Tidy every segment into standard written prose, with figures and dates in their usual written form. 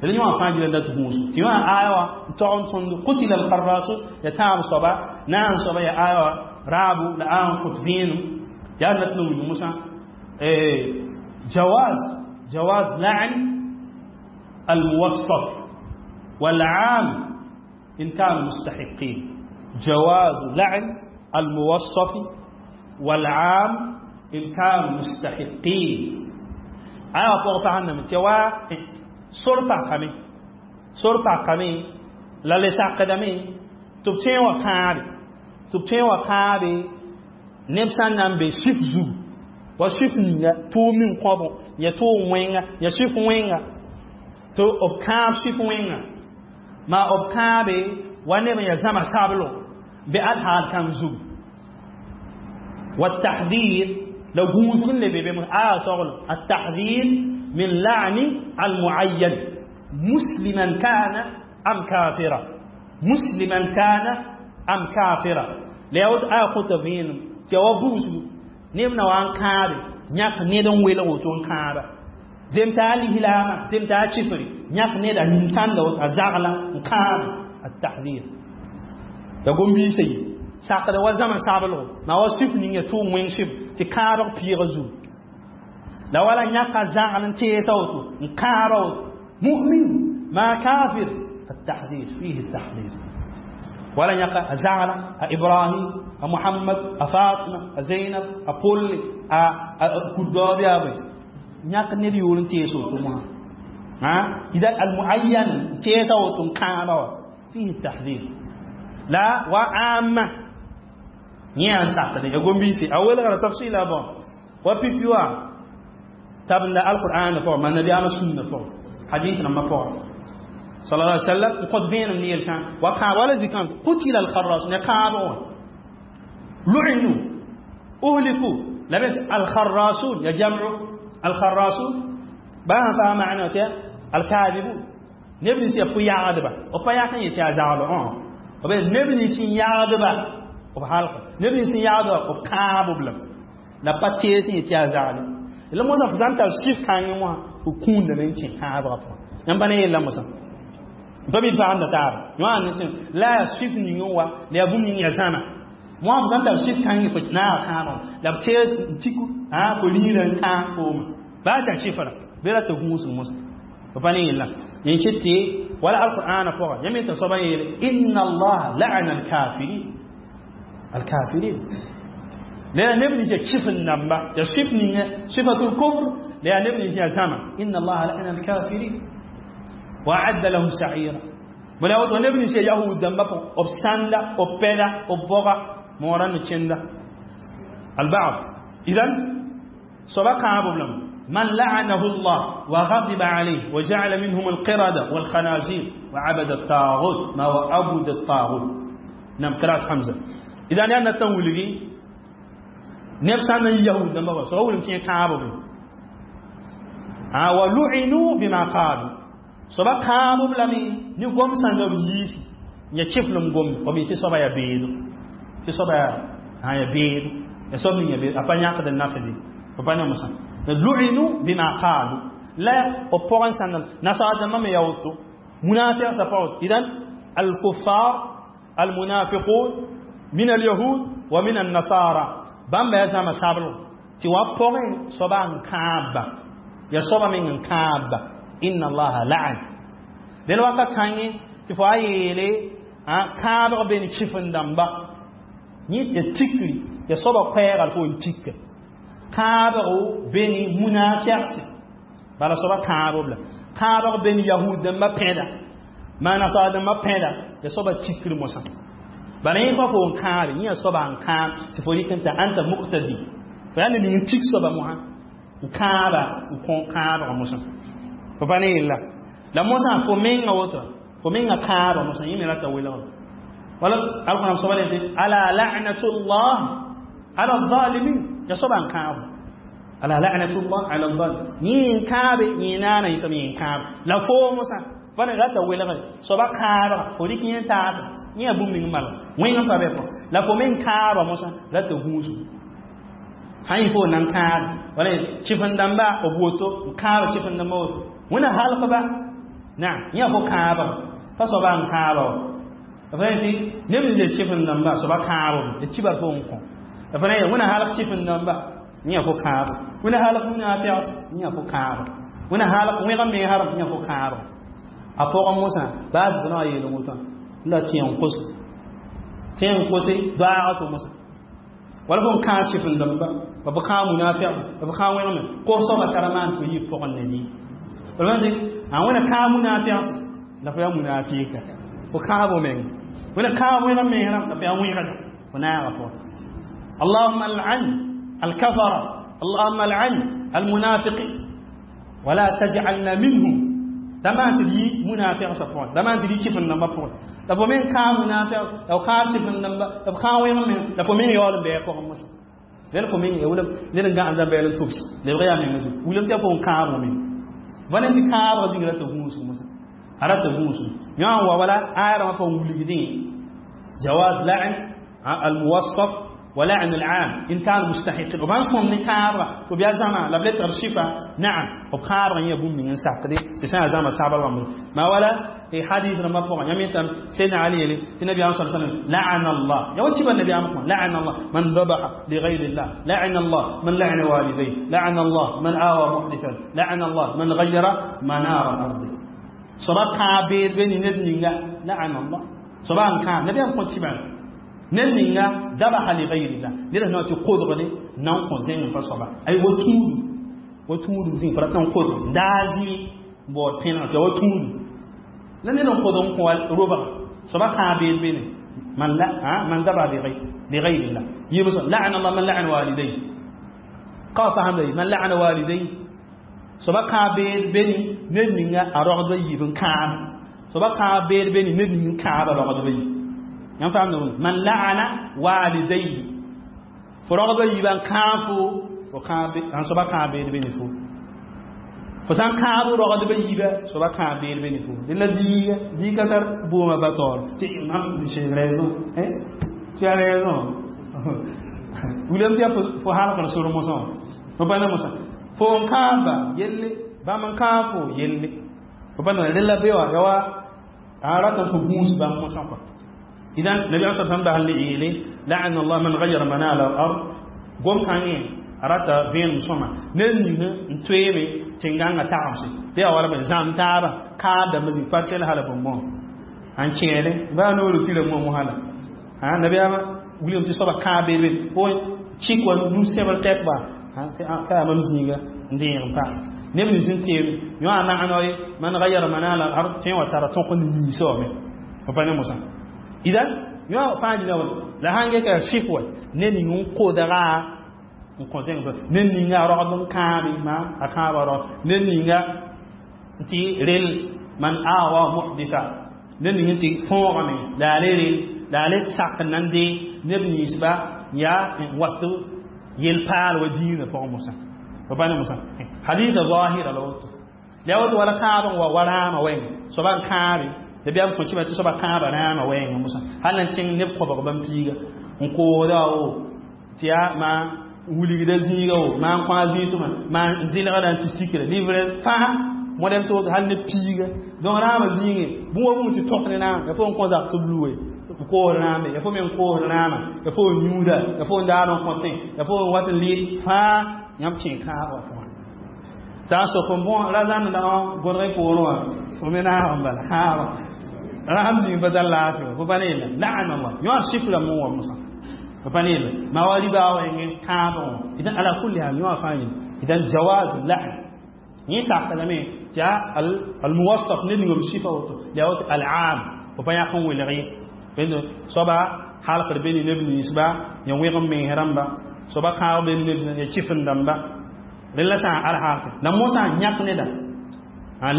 La yõ fãa gila dat gũus tɩ yõ aya wã n tog n tõnd qutila alqarrasun ya tãab soaba naam soaba ya aya wã raabu la aya n kõt vẽenem yaa nat n wilg mosã jawaz jawaz la'n الموصف والعام إن كانوا مستحقين. جواز لعن الموصف والعام إن كانوا مستحقين. آية فوق من توا sor pakame sor pakame la le sakdame tɩ b tõe wã kãabe tɩ b tõe wã kãabe neb sã n na n be sif zugu wa sif ninga tʋʋm ning kõbõ ya tʋʋm wẽnga ya sif wẽnga tɩ b kãab sif wẽnga maa b kãabe wa neb n ya zãma sablo be ad haal kãng zugu والتحذير لو gũusg n le be be aya soglem التحذير من لعن المعين مسلما كان أم كافرا، مسلما كان أم كافرا. La aya kõta vẽenem tɩ ya wa buusgu neb na wa n kãabe yãk ned n welg woto n kãaba zem t'a a lislaama zem t'a a chifri yãk ned a nin-tãnda woto a zagla n kãabe التحذير ya gom-biisã yi sakda wa zãma sablgo ma wa sif ning ya tʋʋm wẽng sɩb tɩ kãabg pɩɩga zugu la wala yãka zagl n teesa woto n kãaba woto mu'min ma kafir. التحذير فيه التحذير ولا يقع زعل إبراهيم محمد فاطمة زينب أبول كدوب يا بي يق نبي يقولون تيسو تما ها إذا المعين تيسو تم كابا فيه التحذير لا وعامة نيان ساعة يقوم بيسي أول غير تفصيل أبو وفي تابن القرآن فوق ما النبي أما سنة فوق حديث لما فوق صلى الله عليه وسلم قد بين من يلشان وقع ولا ذكر قتل الخراص نقابون لعنوا أهلكوا لبنت الخراسون يا جمع الخراسون بها فهم معنى الكاذبون نبني سي فيا عذبا وفيا كان يتازالو وبين نبني سي يعذبا وبحالك نبني سي يعذبا وكابو بلم لا باتي سي يتازالو la mosã f sã n tar sif kãngẽ wã f kũundame n kẽ kãabgã pʋgã yãmb pa ne yella mosã pa bɩ pagemda taaba yõ ne tẽ la yaa sif ning n wa la yaa bũmb ning yaa zãma wã f sã n tar sif kãngẽ fo naag kãabgã la b tees n tik fo liirã n kãag fooma baa t'a sifra bɩ rata gũusg mosã f pa ne yella yẽ ket tɩ wala alqur'ana pʋga yãmb yetã soabã yeele inna allaha la'ana alkafirin alkafirin la neb nins yaa kɩf n namba yaa sif ninga sifatul kufr la yaa neb nins yaa zãma inna allaha la'ana alkafirin wa a'adda lahum sa'ira bala woto neb nins yaa yahud dãmba pʋgẽ b sãnda b pɛda b boga moorã ne kẽnda البعض إذن soaba kãabo lame من لعنه الله وغضب عليه وجعل منهم القردة والخنازير وعبد الطاغوت، ما هو عبد الطاغوت؟ نعم، قراءة حمزة. إذا أنا تنولي neb sã n na yahud dãmba wa soaba wilg tɩ yẽ kãabo be wa lu'inu bima qalu soaba kãabo b lame ne gom sãnga b yiisi ya kɩflem gomde b tɩ soaba yaa beedo tɩ soaba yaa beedo ya soab ning ya beedo a pa yãkd n nafde b pa ne mosã lu'inu bima qalu la b pʋgẽ sãnd nasaar dãmbã me yaa woto munafiq sa pa woto. Idan الكفار المنافقون من اليهود ومن النصارى bãmba yaa zãma sabl tɩ wa pʋgẽ soaba n kãabba ya soaba meng n kãabba inna allaha la'an del wakat sãngẽ tɩ fo a yeele kãabg be ne kɩf n dãmba yẽ ya tikri ya soaba koɛɛgal fo n tika kãabgo be ne munafiqse bala soaba kãabo b la kãabg be ne yahud dãmba pẽda maa nasaar dãmba pẽda ya soaba tikri mosã bala yẽ pa fo n kãabe yẽ ya soaba n kãab tɩ fo rɩk n ta anta muqtadi fo yaa ne ning n tik soaba mosã n kãaba n kõ kãabga mosã fo pa ne yella la mosã fo menga woto fo menga kãaba mosã yẽ me rata welgr wala alqur'an soaba le ala la'natullah ala zalimin ya soaba n kãabo ala la'natullah ala zalim yẽ n kãabe yẽ naana yẽ sã yẽ n kãab la fo mosã fa ne rata welgre soaba kãabga fo rɩk yẽ taasa yẽ yaa bũmb ning mal wẽng n pa be pʋgẽ la fo me n kãaba mosã rata gũusgu sã yɩ fo nan kãab wala kɩf n dãmba b woto n kãaba kɩf n dãmba woto wẽna halgba Naam, yã fo kãabg pa soaba n kãaba wa f tɩ neb nins d chɩf-n-dãmba soaba kãabem d kibar fo n kõ f ra wẽna halg chɩf-n-dãmba yã fo kãab wẽna halg munaafɛgs yã fo kãab wẽna halg wẽg n me harem yã fo kãab a pʋgẽ mosã baa bʋ na yeel wotã la tɩ n kos tɩ n kose doaaga tɩ mosã wala fo n kãab chɩf-n-dãmba b kãab munaafɛgs b kãab wẽgme kos soaba tara maan tɩ yɩ pʋgẽ ne dĩ a wẽna kãab munaafɛgs la fo yaa munafika fo kãabo meng wẽna kãab wẽg n mens rãmb la fo yaa wẽgda fo naaga pʋgẽ. اللهم العن الكفر، اللهم العن المنافق ولا تجعلنا منهم. دما تدي منافق سبحان دما تدي كيف النمبر فون la fo men kãab munafik la kãab sɩf n dãmba la f kãab wẽg me la fo men yaool n bɩ pʋgẽ mosã rẽnd fo men ya ned n gãnd bɛɛl n tʋbs lebg yaa menga zugu wilem tɩ ya fo n kãab meng bõe tɩ kãabga zĩng rata gũusg mosã a rata gũusg yã n wa wala aya rãmbã pa wilgdẽ جواز لعن الموصف ولعن العام إن كان مستحق وبان صوم نكار فبيا زما لا بلت رشيفة. نعم، وبخار يبوم من ساقدي تسمع زما سابر ما ولا في حديث لما فوق يميتم سيدنا علي لي النبي صلى الله عليه وسلم لعن الله يا وجب النبي عمكم لعن الله من ذبح لغير الله، لعن الله من لعن والديه، لعن الله من آوى محدثا، لعن الله من غير منار الأرض. صبا كابير بين ندنيا لعن الله صبا كان نبي أنكم تبع ندنيا ذبح لغير الله نرى نوع تقدر لي نان كونزين فصبا أي وتود وتود زين فرتنا قدر دازي بورتين وتود la ned n kod n kõ robga soaba kãab beed bene man la man ذبح لغير الله يبس لعن الله من لعن والديه قال فهم من لعن والديه soaba kãab beed bene ned ninga a rogdba yiib n kãab soaba kãab beed bene ned ning n kãaba rogdba yiib yãmb faamda man la'ana walidayhi fo rogdba yiibã n kãab fo kãab soaba kãab beed bene fo fo sã n kãab rogdba yiibã soaba kãab beed bene fo dẽ la biiga biiga tar boomã ba taoor tɩ mam j'ai raison, hein, tu as raison. William tɩ yaa fo halgr sor mosã fo pa ne mosã fo n kãaba yelle bãmb n kãab fo yelle fo pa ne rẽ la be wã ya wa a rat n tɩ gũus bãmb mosã kɔa. Idan nabi sa sãm basl ne yeele لعن الله من غير منال الأرض gom kãngẽ a rata vẽenem sõma ned ning n toeeme tẽn-gãngã tagemse bɩ a wala zãm taaba kaabdame zĩig parsɛl hala bõn bõ n kẽere baa noor tɩra mo mosã la nabiyaamã wilgame tɩ soaba kãab beed bee fo chik wa nu-sẽbr tɛk ba ka yaa mam zĩiga n deeg n pa neb nins n teem yõ a maano ye man gayara manal al ard tẽ wa tara tõk n niisa wame fo pa ne mosã idan yõ fãa dĩna wa la sãn geka sɩf wa ned ning n kodga n kõ zẽng ned ninga a rogd n kãabe ma a kãaba rog ned ninga tɩ rel man awa muhditha ned ning tɩ fõogame la a le rel la a le sak n nan dee neb ninsba yaa n wat yel-paal wa diinã pʋgẽ mosã fo pa ne mosã hadita zahira la woto la woto wala kãab n wa wa rãamã wɛɛngã soaba n kãabe la bɩ kõ kɩma tɩ soaba kãaba rãamã wɛɛngã mosã hal na tẽng neb kõbg bãmb piiga n koosda wo tɩ yaa maa wilgda zĩiga wo maa n kõ a zĩig tʋma maa n zɩlgda n tɩ sikra livre fãa modem tɩ woto hal ne piiga donc rãamã zĩigẽ bũmb wa bũmb tɩ tõk ne rãam ya fo n kõ zak tɩ b luwe koos rãame ya fo me n koos rãamã ya fo n yũuda ya fo n daar n kõtẽ ya fo n wat n lɩ fãa yãmb kẽ kãabã pʋgã t'a n sok n bõ ra zãmda gõdg poorẽ wã fo me naag n bala kãabã rãam zĩig pa tar laafɩ fo pa ne yella لعن الله yõ a sifra mo wa mosã fo pa ne yella maa wa ribaa wẽngẽ kãabã wã idan على كل حال yõ a fãa yel idan جواز اللعن yẽ sakdame tɩ yaa الموصف ned ning b sifa woto la woto العام fo pa yãk n welg ye soaba halgd be ne neb ninsba ya wẽg n mens rãmba soaba kãab be neb ya chɩf n dãmba rẽ la sã n al halke la mosã yãk neda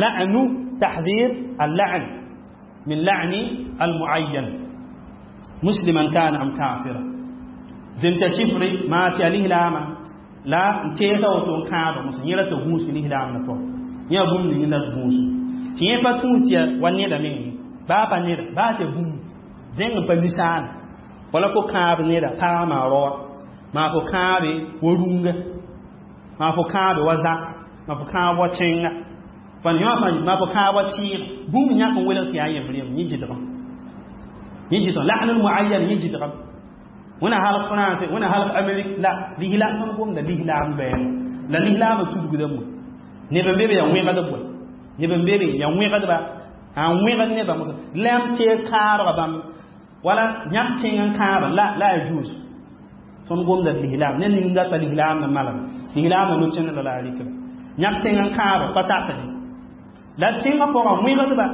لعن تحذير اللعن من لعن المعين مسلما كان أم كافرا زمت chifri ma tɩ a lislaamã la n teesa woto n kãaba mosã yẽ ra tɩ gũusg lislaam na tɔ yẽ a bũmb ning la tɩ gũus tɩ yẽ pa tũu tɩ wa neda meng baa pa neda baa tɩ bũmb zẽng n pa nisaana wala fo kãab neda paa maa raoa maa fo kãabe wa rũnga maa fo kãabe wa zak maa fo kãab wa tẽnga Fan yõ fãa ma fo kãab wa tɩɩg bũmb yãk n welg tɩ yaa yembr yemb yẽ gɩdgem yẽ gɩdgem la'nul muayyan yẽ gɩdgem wẽna halg France wẽna halg Amérique la lislaam tõnd gomda lislaam bɛɛn la lislaamã tudgdame neb n be be yaa wẽgdb wa neb n be be yaa wẽgdba a wẽgd nebã mosã la m teeg kãabga bãmb wala yãk tẽng n kãaba la la ya juus tõnd gomda lislaam ne ning data lislaam na malem lislaamã no-kẽnd la la a rɩkra yãk tẽng n kãaba pa sakde la tẽngã pʋgã wẽgdba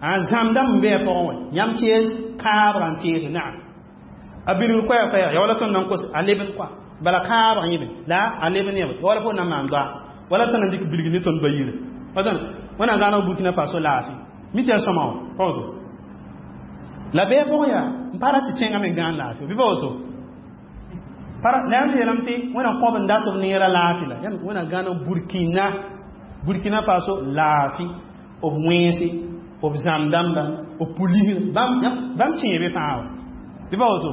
a zãmdame n bɩ a pʋgẽ wã yãmb tees kãabga n tees naam a bilg koɛɛg koɛɛg ya wala tõnd nan kos a lebn kɔa bala kãabg yẽbe la a leb neb wala fo na maan doa wala sã na dɩk bilg ne tõnd ba yire wẽnnaam gãneg Burkina Faso laafɩ mi tɩ ya sõma wã pagdo la bɩ pʋgẽ yaa n pa ra tɩ tẽngã me gãan laafɩ bɩ pa woto la yãmb yeelame tɩ wẽnnaam kõb n dat b neerã laafɩ la wẽnnaam gãneg Burkina Faso laafɩ b wẽnse b zãm dãmba b pulisr bãmb tẽebe fãa wa bɩ pa woto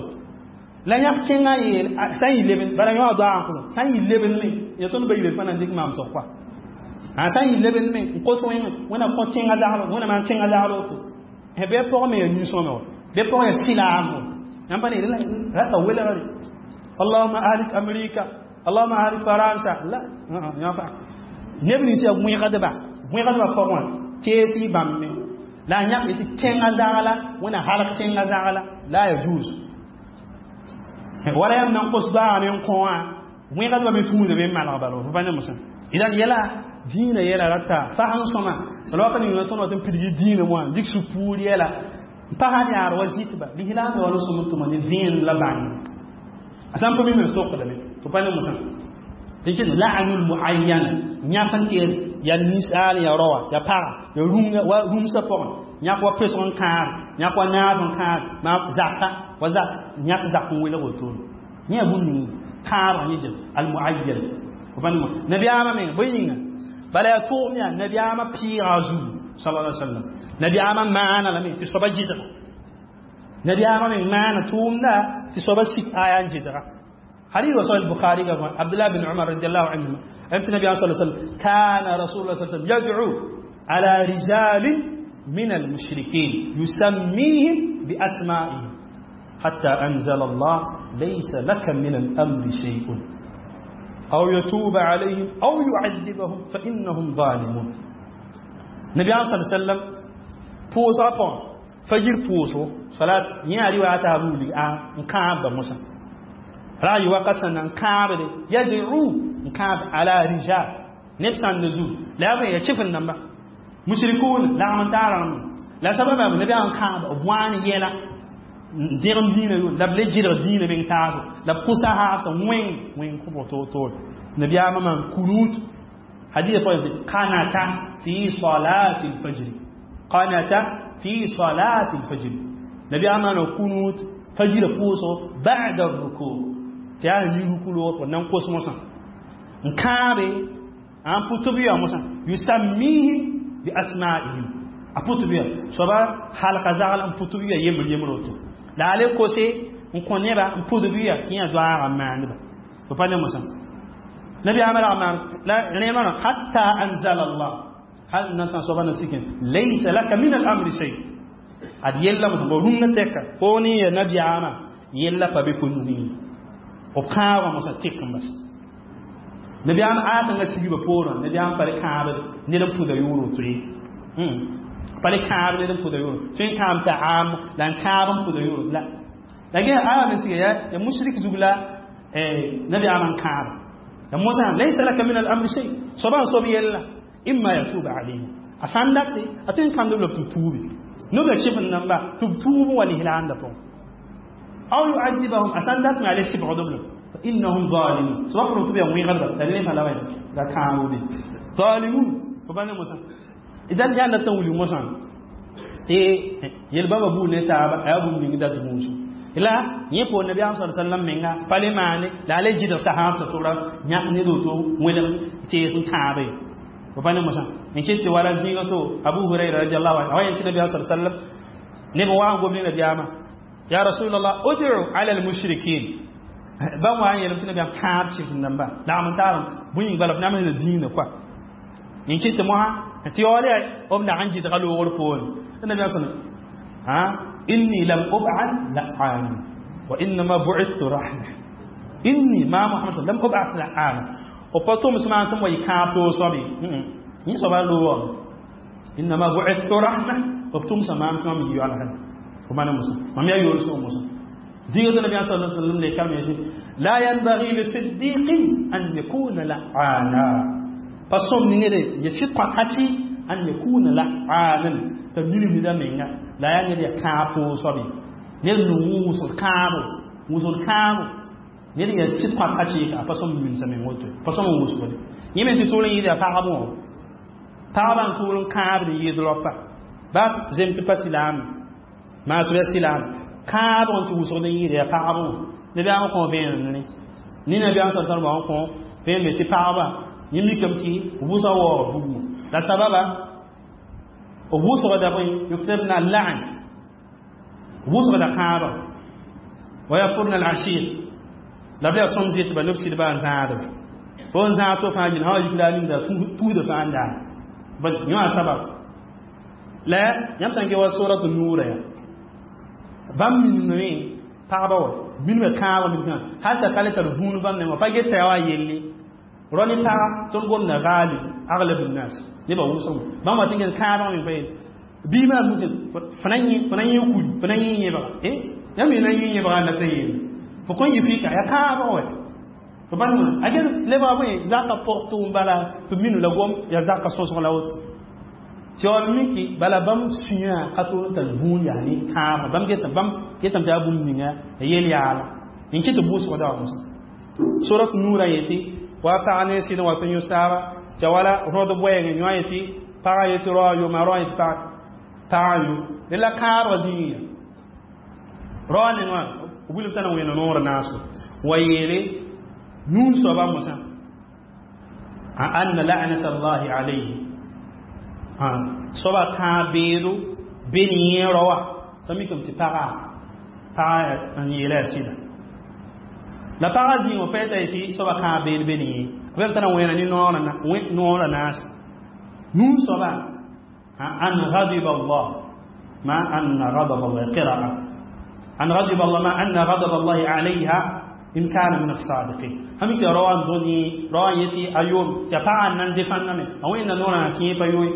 la yãk tẽngã yeel sã n yɩ lebn bala yõ a doagã kosã sã n yɩ lebn me ya tõnd ba yire fãa na n dɩk maam soab koa a sã n yɩ lebn me n kos wẽngẽ wẽnnaam kõ tẽngã zagl wẽnnaam maan tẽngã zagl woto bɩ pʋgẽ me ya nin-sõma wa bɩ pʋgẽ ya sɩlaam wa yãmb pa ne rata welgre Allahumma ahlik Amerika Allahumma ahlik Faransa la neb nins yaa wẽgdba wẽgdba pʋgẽ wã tees y bãmb me la a yãk tɩ tẽngã zagla wẽnnaam halg tẽngã zagla la ya juus wala yãmb nan kos doagã me n kõ wã wẽgdba me tũuda be n malg bala fo pa ne mosã idan yɛla dĩinã yɛla rata fasẽn sõma la wakat ninga tõnd wat n pidgi dĩinã wã dɩk sũ-puur yɛla n pasd yaar wa zɩtba lislaam wala sõm n tʋma ne vẽenem la bãng a sã n pa mim n sokdame tɩ pa ne mosã tɩ la'nul muayyan yãk n tɩ ya ninsaal ya raoa ya paga ya rũngã wa rũmsã pʋgẽ yãk wa pesg n kãab yãk wa naab n kãab ma zaka wa zak yãk zak n welg wotone yẽ yaa bũmb ning kãabg yẽ jem al muayyan nabiyaamã meng bõe yĩnga bala yaa tʋʋm yaa nabiyaamã pɩɩga zugu sallallahu alaihi wasallam nabiyaamã maana lame tɩ soaba gɩdga nabiyaamã meng maana tʋʋmda tɩ soaba sik aya n gɩdga حديث وصل البخاري عبد الله بن عمر رضي الله عنهما أمت النبي صلى الله عليه وسلم كان رسول الله صلى الله عليه وسلم يدعو على رجال من المشركين يسميهم بأسمائهم حتى أنزل الله ليس لك من الأمر شيء أو يتوب عليهم أو يعذبهم فإنهم ظالمون. النبي صلى الله عليه وسلم بوسا بون فجر بوسو صلاة نياري واتابولي نكاب موسى رأي وقت نكاب يدعو نكاب على رجال نفس النزول لا يشوف النمبر مشركون لا من تعلم لا سبب النبي نكاب وان يلا dẽgem dĩinã yo la b le gɩdg dĩinã meng taaso la b kʋsa haasã wẽng wẽng kõ to-to nabiyaamã maan kunut hadith pʋgẽ qanata fi salati lfajri qanata fi salati lfajri nabiyaamã maana kunut fajrã pʋʋsgo ba'da ruku tɩ yaa yi ruku loog nan kos mosã n kãabe n pʋ tɩ b ya mosã yusammihim bi asma'ihim a pʋ tɩ b ya soaba halka zagl n pʋ tɩ b ya yembr yembr woto la a le kose n kõ neba n pʋd b ya tɩ yã doaagã n maandba fo pa ne mosã nabiyaamã rag maan la rẽemã hatta anzala Allah hal nan sã soaba na sikẽ laysa laka min al-amri shay ad yella mosã bo rũngã tɛka fo ne ya nabiyaamã yella pa be ko-nugẽ b kãabã mosã tɩk n bas nabiyaam aatãngã sigba poorã nabiyaam pa le kãabd ned n pʋda yʋʋr woto ye pa le kãab ned n pʋda yʋʋr tõe n kãam t'a aam la n kãab n pʋda yʋʋr la la gẽ aya me siga ya mushrik zug la nabiyaam n kãaba la mosã laysa laka min al-amri shay soaba n soab yella imma yatuba alayhim a sãn date a tõe n kãmdb la b tɩ tuubi noba kɩf n namba tɩ b tuub wa lislaamda pʋgẽ aw yu'adibahum a sãn dat me a le sɩbgdb la فإنهم ظالمون سواء كنتم تبيع وين غلبة دليل فلا وين لا كانوا بي ظالمون فبان موسى إذا جاء تنولي موسى تي يلبا بو نتا أبو من دا موسى ila yẽ po nabiyaam sa sallam menga pa le maane la a le gɩdg sahaabsã tʋbra yãk ned woto wẽlg tees n kãabe fo pa ne mosã n ket tɩ wala zĩigã to Abu Huraira radiallahu anhu a wa yẽn tɩ nabiyaam sa sallam neb wa n gom ne nabiyaamã ya rasulallah ud'u ala al-mushrikin bãmb wa n yeelame tɩ nabiyaam kãab chif n namba lagm n taarem bũy bala b namsda dĩinã koa n ket tɩ mosã Tɩ yaool yaa b nag n gɩdga loogr poorẽ. Tɩ nabiyaam sã inni lam ub'ath la'ana wa innama bu'ithtu rahma. Inni ma Muhammad lam ub'ath la'ana. B pa tʋms maam tɩ m wa yɩ kãab toog soab ye. Yẽ soaba loogame. Innama bu'ithtu rahma. B tʋmsa maam tɩ mam yɩ yoalsã. Fo bãna mosã. Mam yaa yoolsg mosã. Zɩɩg tɩ nabiyaam sallallahu alaihi wasallam le kalme yetɩ la yanbaghi li siddiqin an yakuna la'ana. Pa sõm ningre ya sɩd kõt an yakuna la'anan t'a milmida menga la yaa ned yaa kãab toog soab ye. Ned nong wʋsg kãabo, wʋsg kãabo. Ned yaa sɩd kõt a pa sõm mimsa meng woto. Pa sõm n wʋsgde. Yẽ me tɩ tʋʋl n yɩɩd yaa pagb wã. Pagba n tʋʋl n kãabd n yɩɩd raopa. Baa zem tɩ pa silaam. Maa tɩ b yaa silaam. Kãabg n tɩ wʋsgd n yɩɩd yaa pagb wã. Nabiyaam kõ vẽenem ne. Ne nabiyaam sa sallam n kõ vẽenem tɩ pagba yẽ mikame tɩ wʋsga waoog bugmã. La sababa b wʋsgda bõe yuksibna al-la'n. Wʋsgda kãabã. Wa yakfurna al-ashir. La b yaa sõm zɩtba ne b sɩdba n zãadba. Fo n zãad to fãa yĩn sã wa yik la a ninda tuusda fãa n daa. Yõ a sabab. La yãmb sã n ke wa suratu nuurã yaa. Bãmb minimame pagba wa minimã kãabã minimã hal t'a ka le tar vũun bãmb nengã pa get t'a yaa wa yelle. Rao ne paga tõnd gomda gaalib aglab nnas nebã wʋsg bãmb wa tɩ n ges kãabã me pa yel bii maa muse fo na yẽ kuri fo na yẽ yẽbga yãmb me na yẽ yẽbga n dat n yeele fo kõn yɩ fɩka yaa kãabg wɛ fo bãn a ges lebga bõe zaka pɔgtʋ n bala tɩ minu la gom yaa zaka sõsg la woto tɩ yaool miki bala bãmb sũyã ka tʋʋl n tar vũun yaa ne kãabga bãmb getame tɩ yaa bũmb ninga a yel yaala n kɩ tɩ bʋʋsg da wa mosã surat nuurã yetɩ wa pag ne sɩd n wa tɩ yõs taaba tɩ wala rõd boɛɛngẽ yõ yetɩ pagã yetɩ rao a yo maa rao yetɩ pagã yo dẽ la kãabga zĩigã rao nengã b wilg t'a na wẽnd noor naasgo wa yeele nũun soaba mosã anna la'nat allahi alayhi soaba kãab beedo be ne yẽ raoa sã mikame tɩ pagã n yeela yaa sɩda la pagã zĩig wã pa yeta yetɩ soaba kãab beed be ne yẽ b t'a na wẽna ne noorã naase nũun soaba an ghadiba allah ma anna ghadab allah qira'a an ghadiba allah ma anna ghadab allah alayha in kana min as-sadiqin hami tɩ raoã dõni raoã yetɩ a yoom tɩ a pagã n nan defãndame a wẽnda noorã na tɩ yẽ pa yoe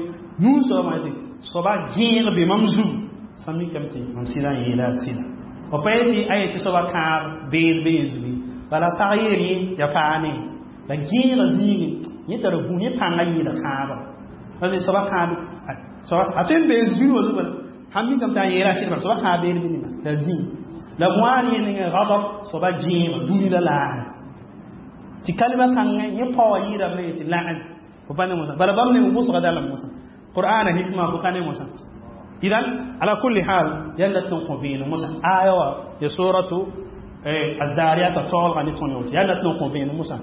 nũun soaba yetɩ soaba gẽeg be mam zugu sã mikame tɩ mam sɩdã n yeela a sɩda b pa yetɩ a yetɩ soaba kãab beed be yẽ zugu bala pag yeel yẽ yaa paane la gẽegã zĩigẽ yẽ tara bũ yẽ pãngã yɩɩda kãabã parce soaba kãab a tõe n bee zũni wã zugã sãn mikame tɩ a yeela a sɩd bala soaba kãab beed be nema la zĩig la wãan yẽ ninga ghadab soaba gẽegã dũni la laara tɩ kalima kãngã yẽ paoã yɩɩdame yetɩ la'an fo pa ne mosã bala bãmb ne wʋsga dalam mosã qur'ana hikma fo ka ne mosã idan ala kulli hal yãnd dat n kõ vẽenem mosã aya wã ya suratu الذاريات taoolga ne tõnd woto yaa dat n kõ vẽenem mosã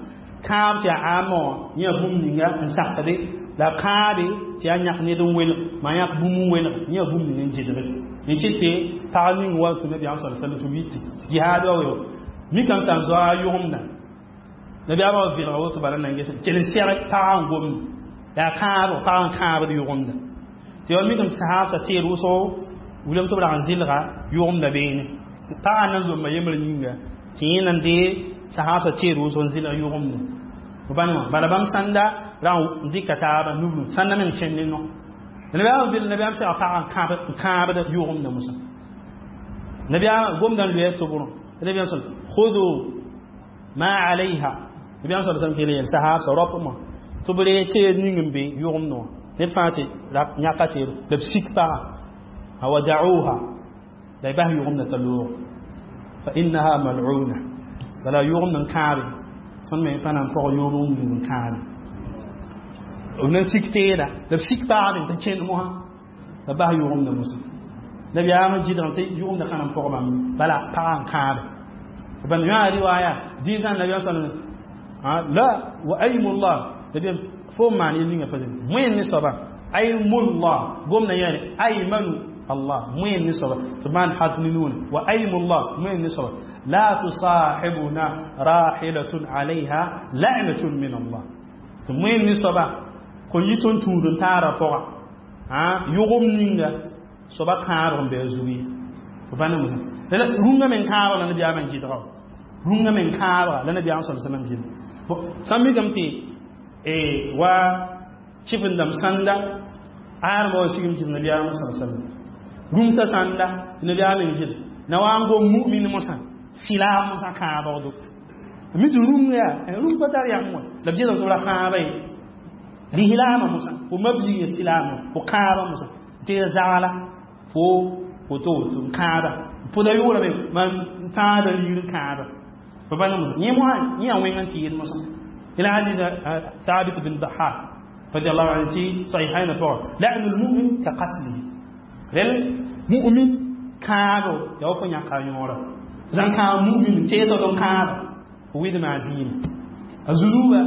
kãab tɩ yaa ãamã wã yẽ yaa bũmb ninga n sakde la kãabe tɩ yaa yãk ned n welg maa yãk bũmb n welg yẽ yaa bũmb ning n gɩdge n kɩt tɩ pag ning wa tɩ nabiyaam sa sallam tɩ wɩtɩ jihaad wa weo mikame t'a n zoa a yʋgemda nabiyaamã wa vɩlga woto bala na n ges kell n sɛg pagã n gomda yaa kãab pagã n kãabd yʋgemda tɩ yaool mikame tɩ sahaabsã teed wʋsgo wilame tɩ b rag n zɩlga yʋgemda beene pagã nan zomba yembr yĩnga tɩ yẽ nan dee sahaabsã teed wʋsg n zɩlg yʋgemda bãn wã bala bãmb sãnda ra n dɩka taaba nublu sãnda meng kẽnd ne no nabiyaam vil nabiyaam sega pagã n kãabd yʋgemda mosã nabiyaam gomda n loya tʋbrõ nabiyaam sal khudu ma alayha nabiyaam sal sallam kele yel sahaabsã raopmã tɩ b ree teed ning n be yʋgemdẽ wã ned fãa tɩ yãka teedo la b sik pagã wa da'uha la y bas yʋgemdã t'a loog fa innaha mal'una bala yʋgemd n kãabe tõnd me pa na n pɔg yʋʋm n wilg n kãabe b nan sik teeda la b sik pagd t'a kẽnd mosã la bas yʋgemdã mosã nabiyaamã gɩdgame tɩ yʋgemdã ka na n pɔg bãmb bala pagã n kãabe ban yã riwaya zĩisã nabiyaam sa la wa aymullah nabiyaam fo n maan yel ninga pa wẽnd ne soaba aymullah gomdã yãne aymanu Allah wẽnd ne soaba tɩ maan harf ne nuune wa aymullah wẽnd ne soaba la tusahibuna rahilatun alayha la'natun min Allah tɩ wẽnd ne soaba Kõn yɩ tõnd tũud n taara pʋga yʋgem ninga soaba kãabg n be a zug ye fo pa ne mosã rũngã meng kãabg la nabiyaamã n gɩdga rũngã meng kãabga la nabiyaam sal sallam gɩdga sã n mikame tɩ wa chɩf-n-dãmb sãnda ãadmã wa sigm tɩ nabiyaamã sal sallam rũmsã sãnda tɩ nabiyaam meng gɩd na wa n gom mu'min mosã silaam mosã kãabgdo mi tɩ rũng yaa rũng pa tar yãmb wã la b gɩdg tɩ b ra kãaba ye lislaamã mosã fo mabig ya silaamã fo kãabã mosã tɩ ya zagla fo woto woto n kãaba pʋda yʋʋra me mam tãada ligr n kãaba fo pa ne mosã yẽ mosã yẽ yaa wẽng n tɩ yɩl mosã ila hadith ثابت بن ضحاك رضي الله عنه في صحيحين فور لعن المؤمن كقتله رل مؤمن كابو يا فو نيا كايورا زان كا مؤمن تيسو دون كابو ويد ما زين الزلوبة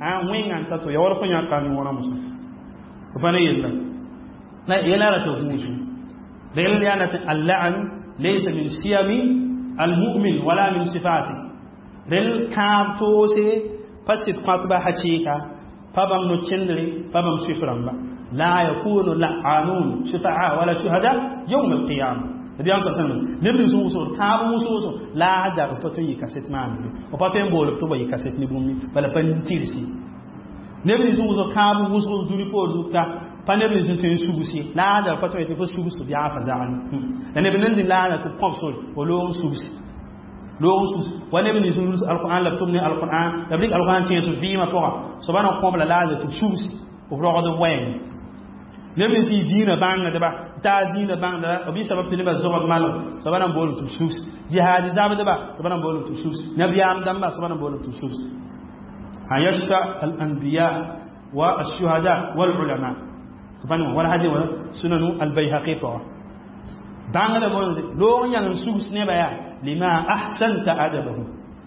ها وين أنت تو يا فو نيا كايورا مسا فانا يلا لا يلا لا تغوشو رل يعني اللعن ليس من سيم المؤمن ولا من صفاته رل كاب توسي فست قطبة حشيكا فبم نتشندري فبم سفرم لا يكون لعانون شفعاء ولا شهداء يوم القيامة النبي صلى الله عليه وسلم نبي سوسو كاب سوسو لا دار بتو يكاسيت مان وبتو يبول بتو يكاسيت نبومي بلا بنتيرسي نبي سوسو كاب سوسو دوري بوزوكا pa neb nins n tõe n sugs ye la a da pa tõe tɩ fo sugs tɩ b yaa fa zagni la neb nand la a tɩ b kõb sore fo loog n sugs loog n sugs wa neb nins n ruls alquran la b tʋm ne alquran la b dɩk alquran tẽes b vɩɩmã pʋga soaba na kõb la a tɩ b sugs b rogd b wɛɛng neb nins yɩ dĩinã bãngdba taa dĩinã bãngdba b yɩ sabab tɩ nebã zog b malg soaba na n boolem tɩ b sugs jihaad zabdba soaba na n boolem tɩ b sugs nabiyaam dãmba soaba na n boolem tɩ b sugs an yashfa al anbiya wa الشهداء والعلماء فنو ولا هذه سنن البيهقي فوا بانغ بون لو يان سوس نبا لما احسنت ادبه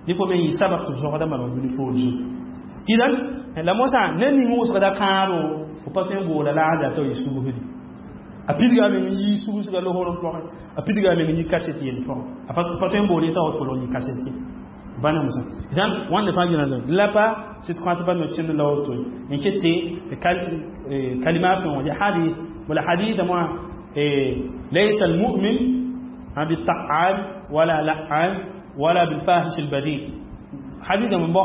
دي فو مي سبب تزوغ دا مالو دي فو اذا لا موسى نني موسى دا كارو fo pa tõe n boola la a da tɩ y sugusdi a pidga meng n yi sugusga losorem pʋgẽ a pidga meng n yi kaset yell pʋgẽ a pa tõe n bool t'a fo log yi kaset ye bãna mosã dãn wãnda fãa gɩ la pa sɩd kõat pa no-kẽnd la woto n ket tɩ kalima sõng ya hadith wala hadith moã ليس المؤمن بالطعان ولا لعان ولا بالفاحش البذيء حديث من بو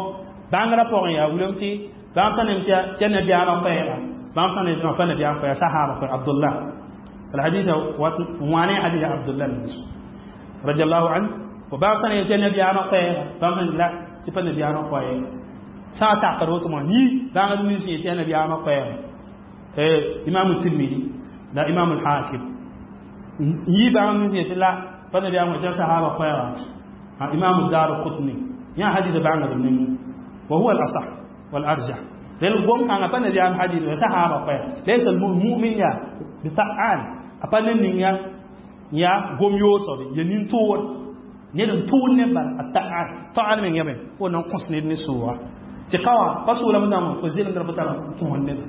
بانغرا pʋgẽ yaa wilem tɩ bãmb sã nem tɩ nabiyaamã koɛɛga bãmb sã nem pa nabiyaam koɛɛga sahaba koɛɛga Abdullah الحديث واني حديث عبد الله بن مسعود رضي الله عنه وبام sã ne tɩ nabiyaamã koɛɛga bãmb sã la tɩ pa nabiyaamã koɛɛga sã n takd woto wã yĩ bãngd nins yẽ tɩ yaa nabiyaamã koɛɛga imam Tirmidi la imam al-Hakim yĩ bãngd nins yẽ tɩ la pa nabiyaamã tɩ sahaba koɛɛga imam Darqutni yã hadith bãngd ning وهو الأصح والأرجح لأن قوم كان pa nabiyaam hadith sahaba koɛɛga ليس المؤمن يا بطعان apa ne ninga ya gom yosobe ya nin toor ned n tʋʋd ne bala a ta'an ta'an meng yame fo nan kõs ned ne sʋʋga tɩ ka wã pa sʋʋlame zãma fo zelemdra fo tara tõs ned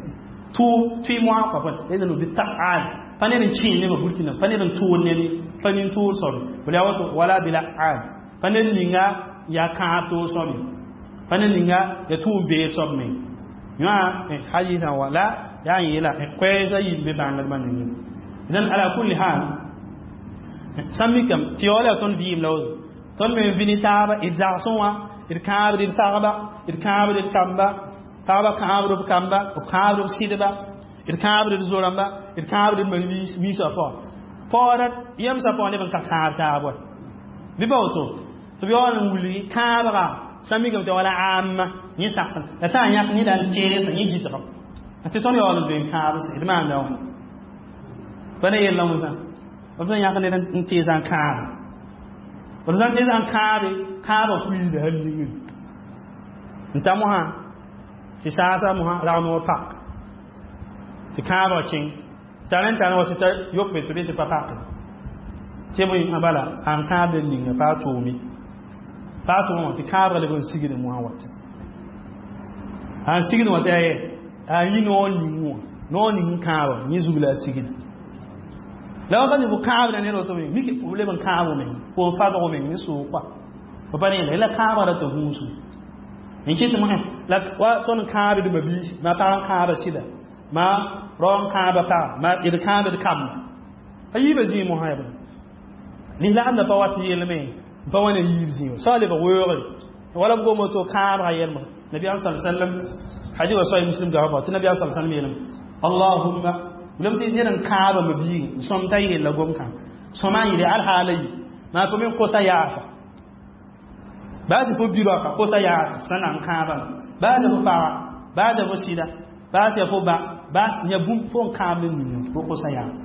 tʋ tʋɩ moasã pa pa la b ta'an pa ned n kẽe nebã burkina pa ned n tʋʋd ned pa nin tʋʋd soabe bala yaa woto wala bila an pa ned ninga yaa kãab toog soabe pa ned ninga ya tʋʋm beeb soab meng yã hadisã wala yaa n yeela koɛɛsã yĩm be bãngdbã nengẽ idan ala kulli hal sã n mikame tɩ yaool yaa tõnd vɩɩm la woto tõnd me n vɩ ne taaba d zagsẽ wã d kãabd d pagba d kãabd d kamba pagba kãabd b kamba b kãabd b sɩdba d kãabd d zo-rãmba d kãabd d miisã pʋgã paoora yemsã pʋgã neb n ka kãab taab wa bɩ pa woto tɩ b yaool n wilgi kãabga sã n mikame tɩ wala ãamma yẽ sak la sã n yãk neda n tees yẽ gɩdgem tɩ tõnd yaool n doe n kãabs d maanda wãna pa ne yella mosã b sẽn yãk ned n teesã n kãabe b sã n teesã n kãabe kãabã kuiida hal yĩngri n ta mosã tɩ saasa mosã rag-noor pak tɩ kãabã kẽng tar n tar wa tɩ ta yope tɩ bɩ tɩ pa pake tɩ bõe a bala ãn kãabd n ninga pa a tʋʋme pa a tʋʋme tɩ kãabga leb n sigd mosã wata an sigd wã tɩ aye a yĩ noor ning wã noor ning n kãabã yẽ zug la a sigda la wakat fo kãabda ned woto me mik fo leb n kãab meng fo n fadg meng ne soog kɔa fo pa ne la kãabga ra tɩ gũusum N kɩt mosẽ la wa tõnd kãabd mabiisi ma pag n kãaba sɩda ma rao n kãaba paga ma d kãabd kamba a yiibã zĩig mosã yaa bõe lislaamdã pa wat yelme n pa wa ne yiib zĩig sã lebg weoogre wala b gom woto kãabga yɛl mosã nabiyaam sa sallam hadis wa sahih muslim gaba tɩ nabiyaam sa sallam yeelame allahumma lem tɩ ned n kãaba mabiigẽ n sõm t'a yella gom-kãng sõma n yɩle alhaala yi maa fo me kosa yaafa baa tɩ fo bi-raoka kosa yaafa sã na n kãabame baa tɩ fo paga baa tɩ fo sɩda baa tɩ fo ba ba yã bũmb fo n kãab ne ning fo kosa yaafa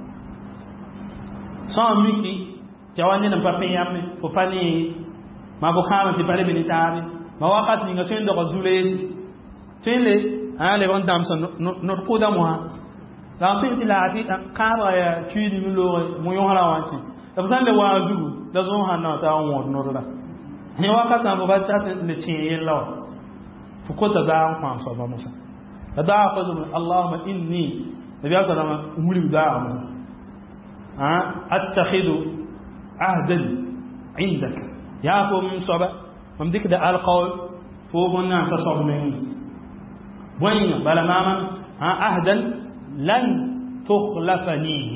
sã n miki tɩ ya wa ned n pa pẽ yãmbe fo pa ne maa fo kãabã tɩ pa lebe ne taabe ma wakat ninga tõe n doga zu-leesi tõe n le a leb n dãmsa nod kʋʋda mosã la n tõe tɩ laafɩ kãabga yaa kuiidme looge mo-yõsrã wã tɩ la f sã n le wa a zugu la zõosã na t'a wõod nodra yẽ wakat sã fo pa tat le tẽeg yella wã fo kota daag n kõ a soaba mosã la daag pa zoe allahuma inni nabiyaam salama n wilg daaga mosã attakhidu ahdan indaka yaa fo m soaba mam dɩkda alqaul fo wẽnnaam sa soab meng bõe yĩnga bala maama ahdan lan tukhlafanihi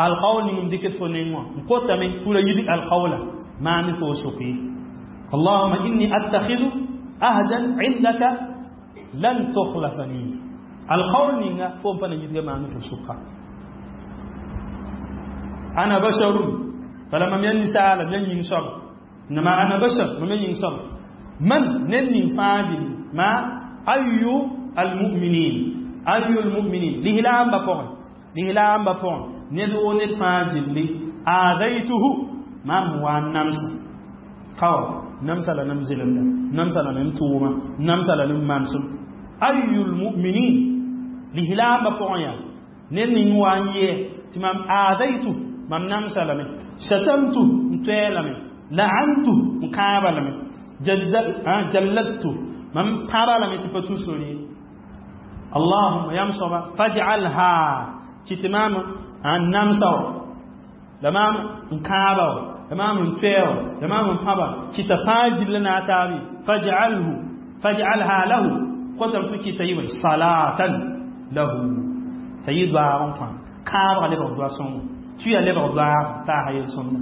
alqaul ning m dɩkd fo neng wã n kotame tʋra yid alqaula maam fo soke allahuma inni attakhidu ahdan indaka lan tukhlafanihi alqaul ninga fo n pa na yidga maam fo soka ana basharun bala mam yaa ninsaala m yaa yĩng soaba إنما أنا بشر من ينصر من نن فاجل ما أي المؤمنين أي المؤمنين لهلام بفون لهلام بفون ندعو ند فاجل لي آذيته ما هو نمس خو نمس لا نمزل نمس لا نمتوما نمس لا نمانسم أي المؤمنين لهلام بفون يا نن وانيه تمام آذيته mam namsa lame shatamtu n toɛ lame la'antu n kãaba lame jalladtu mam pãba lame tɩ pa tu sori allahuma yam soaba faj'alha kɩ tɩ maam n namsa wa la maam n kãaba wa la maam n toɛ wa la maam n pãba kɩ t'a fãa gilla na a taabe faj'alhu faj'alha lahu kotame tɩ kɩ t'a yɩ salatan lahu t'a yɩ doaag n fãa kãabga lebg doa sõngo tuya lebg doaag taasa yel-sõmda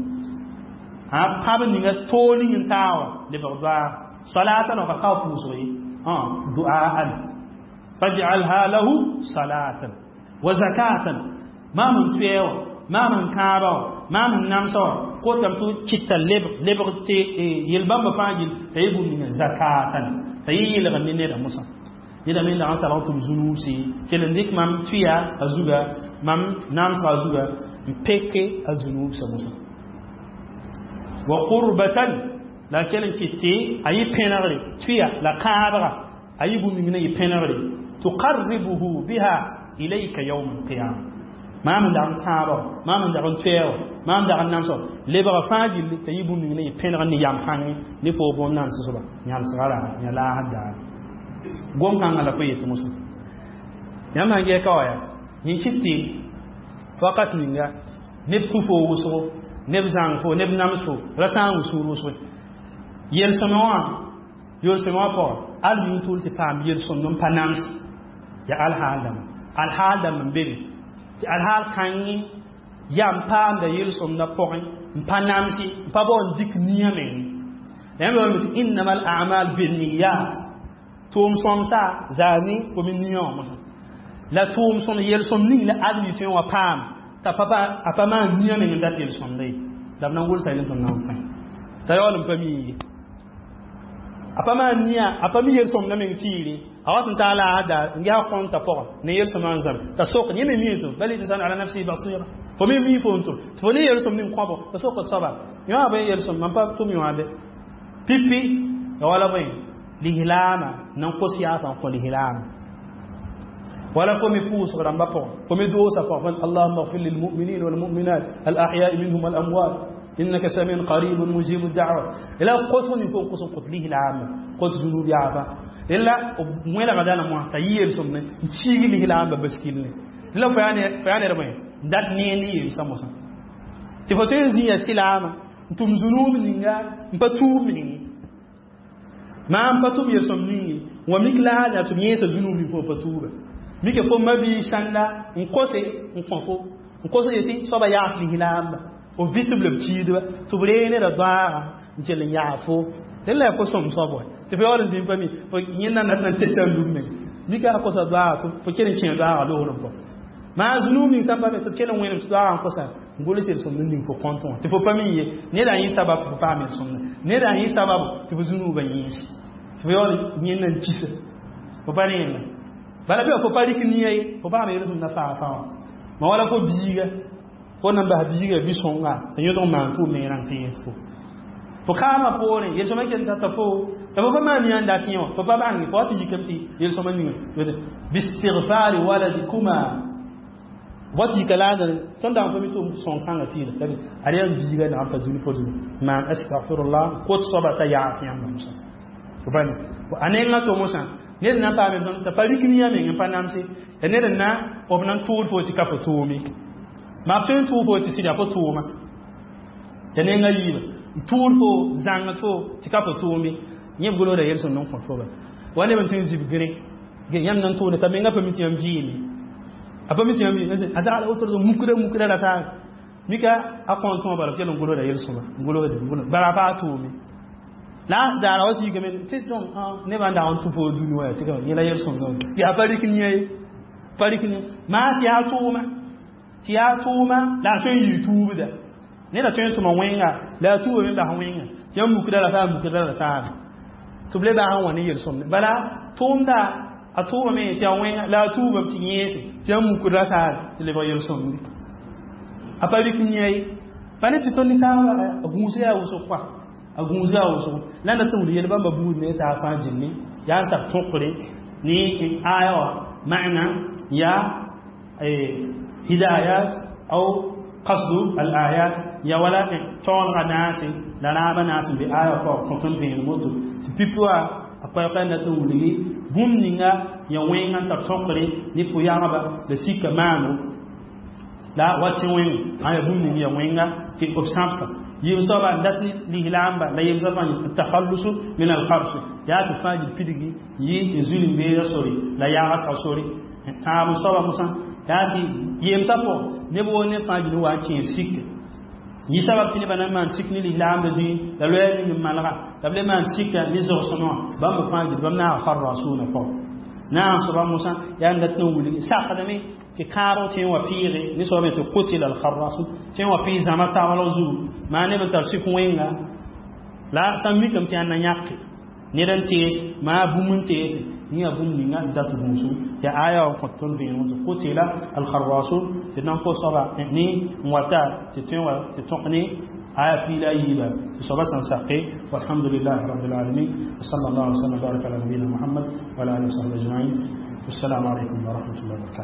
pãb ninga toor ning n taa wã lebg doaag salatan wã ka kao pʋʋsg ye duaan faj'alha lahu salatan wa zakatan maam n toɛ wã maam n kãaba wã maam n namsa wã kotame tɩ kɩta lebg lebg tɩ yel-bãmba fãa gill t'a yɩ bũmb ninga zakatan t'a yɩ yɩlg ne neda mosã neda me dag n salg tɩ b zu-nuubse kell n dɩk mam tuya a zuga mam namsga a zuga n peke a zu-nuubsã mosã wa qurbatan la kell n kɩt tɩ a yɩ pẽnegre tuya la kãabga a yɩ bũmb ning na yɩ pẽnegre tuqarribuhu biha ilayka yawm alqiyama maam n dag n kãaba maam n dag n toɛɛ wa maam n dag n namsã lebga fãa gilli t'a yɩ bũmb ning na yɩ pẽneg ne yam kãngẽ ne fo bõn-namsã soaba yãlsga ra yã laasd daar gom-kãngã la fo yetɩ mosã yãmb sãn gɛɛ ka wa yaa yẽ kɩt tɩ wakat ninga neb tũ fo wʋsgo neb zãng fo neb nams fo ra sã n wʋ sũur wʋsge yel-sõmẽ wã yol-sõmẽ wã pʋgã al yũn tʋl tɩ paam yel-sõmd n pa nams yaa alhaal dãmba alhaal dãmb n be be tɩ alhaal kãngẽ yaa n paamda yel-sõmdã pʋgẽ n pa namsi n pa bao n dɩk nia meng la yãmb yaoolame tɩ innama al amal binniyat tʋʋm sõmsa zaa ne fo me nia wã mosã la tʋʋm sõm yel-sõm ning la adem yɩ tõe n wa paam t'a a pa maan nia meng n dat yel-sõmda ye la b na n gʋlsa yel tõnd na n pẽ t'a yaool n pa mi ye a pa maan nia a pa mi yel-sõmda meng tiire a wat n taa la a daar n ges kõnta pʋgã ne yel-sõmã n zãme t'a sok yẽ me mi tʋm bal insanu ala nafsihi basira fo me mi fo n tʋm tɩ fo ne yel-sõm ning kõbo t'a sok d soaba yõ bõe yel-sõm mam pa tʋm yõa be pipi ya wala bõe lislaama nan kos yaasã n kõ lislaama wala fo me pʋʋsg rãmbã pʋgẽ fo me doosã pʋgẽ allahuma اغfir lilmuminin walmuminat alahyaء minhum walamwat innaka samiun qaribun mujibu da'wa la kosg ning fo n kos n kõt lislaama kõt zunub yaaba la wẽlga dãna moã t'a yɩ yel-sõmne n kiig lislaambã baskilne la fo yaa ned bõe n dat nee ne yelsã mosã tɩ fo tõe n zĩ ya sɩlaama n tʋm zunub ninga n pa tuub meng Maam pa tʋm yel-sõm ning ye, wã mik la la tɩ b yẽesa zũnug ning fo pa tuuba. Mike fo mabi sãnda n kose n kõ fo n kos yetɩ soaba yaas lislaamba b vɩ tɩ b leb kiidba tɩ b ree neda doaaga n kell n yaa fo tɩ la fo sõm soab wa tɩ fo yaool n zĩnd pa mi fo yẽnda na tɩ na n teta n lub meng mika a kosa doaaga tɩ fo kell n kẽ doaaga loogrẽ pʋgẽ maa zũnug ning sãn pa be tɩ b kell n wẽnem tɩ doaaga n kosa n gʋls yel-sõmd n ning fo kõntẽ wã tɩ fo pa mi ye neda n yɩ sabab tɩ fo paam yel-sõmdã neda n yɩ sababu tɩ fo zũnugã yẽese tɩ fo yaool yẽnda n kisa fo pa rẽenda bala bɩ fo pa rɩk nia ye fo paam yel-sõmdã faa faa wã ma wala fo biiga fo nan bas biiga bi-sõnga tɩ yõdg maan tʋʋm ne rãng tɩ yẽs fo fo kaamã poorẽ yel-sõmã kell tata fo la fo pa maan yã n dat yẽ wã fo pa bãnge fo wa tɩ yikame tɩ yel-sõmã ninga bistigfari waladikuma wa tɩ yika laadr tõnd dag pa mi tɩ sõng kãngã tɩɩla ad yaa biiga nagam pa dũni fo zũnu maan astagfirullah kot soaba t'a yaaf yãmb mosã fo pa a nengã to mosã ned na n paame t'a pa rik nia meng n pa namse ya ned n na b nan tʋʋd fo tɩ ka fo tʋʋme maa f tõe n tʋʋg fo tɩ sɩda fo tʋʋma ya nenga yiiba n tʋʋd fo zãngd fo tɩ ka fo tʋʋme yẽ b golgda yel-sõmd n kõt fo ba wa neb n tɩ n zib gre yãmb nan tʋʋda t'a menga pa mi tɩ yãmb vɩɩme a pa mi tɩ yãmb vɩɩme a zagla wotoro mukda mukda ra saag mika a kõn tõa bala b kell n golgda yel-sõma n golgde bara a paa tʋʋme la daara wa tɩ yikame tɩ tõm nebã n dag n tũ fo dũni wa tɩ yẽla yel-sõmdã yaa pa rɩk nia ye pa rɩk nia maa tɩ yaa tʋʋma tɩ yaa tʋʋma la a tõe n yɩɩ tuubda neda tõe n tʋma wẽnga la a tuuba me bas wẽnga tɩ yãmb mukda la saa mukda la saame tɩ b le bas n wa ne yel-sõmde bala tʋʋmda a tʋʋmame tɩ yaa wẽnga la a tuubame tɩ yẽese tɩ yãmb mukd la saare tɩ lebg yel-sõmde a pa rɩk nia ye pa ne tɩ tõnd ne taaba a gũus yaa wʋsg kɔa a gũus yaa wʋsg la na tɩ wul yel bãmba buud ne taa fãa jilli yaa n tar tõkre ne aya wã maana yaa hidayat aw qasdu al ayat ya wala taolga naase la raaba naas n be aya pʋgã kõt n vẽenem woto tɩ pipi wã a koɛɛg n dat n wilgi bũmb ninga ya wẽnga n tar tõkre ne pʋ-yagba la sika maano la wa tẽ wẽng ã ya bũmb ning ya wẽnga tɩ b sãbsa yɩm soaba n dat lislaamba la yem soaba takhallusu min alqabs yaa tɩ fãa jil pidgi yɩ n zulm-beeda sore la yagsga sore tãab soaba mosã yaa tɩ yemsã pʋgẽ neb woo ne fãa jil wa n kẽes sik yɩ sabab tɩ nebã na n maan sik ne lislaambã dĩi la loɛɛ ning n malga la b le maan sika ne zogsẽmã wã bãmb fãa jil bãmb naaga kharrasuna pʋgẽ naag soaba mosã yaa n dat n wilgi sakdame tɩ kãabg tẽ n wa pɩɩge ne soaba tɩ qutila alkharrasun tẽ n wa pɩɩ zãma saglg zugu maa neb n tar sik wẽnga la sã n mikame tɩ yaa na yãke ned n tees maa bũmb n teese yẽ bũmb ninga n dat gũusu tɩ aya wã kõt tõnd vẽenem tɩ qutila alkharrasun tɩ d na n kos soaba ne n wata tɩ tõe wa tɩ tõk ne aya piila yiiba tɩ soaba sẽn sake walhamdulillahi rabbil alamin wa sallallahu wa sallam baraka ala nabiyina muhammad wa ala alihi wa sahbihi ajma'in. Wassalamu alaikum wa rahmatullahi wa barakatuh.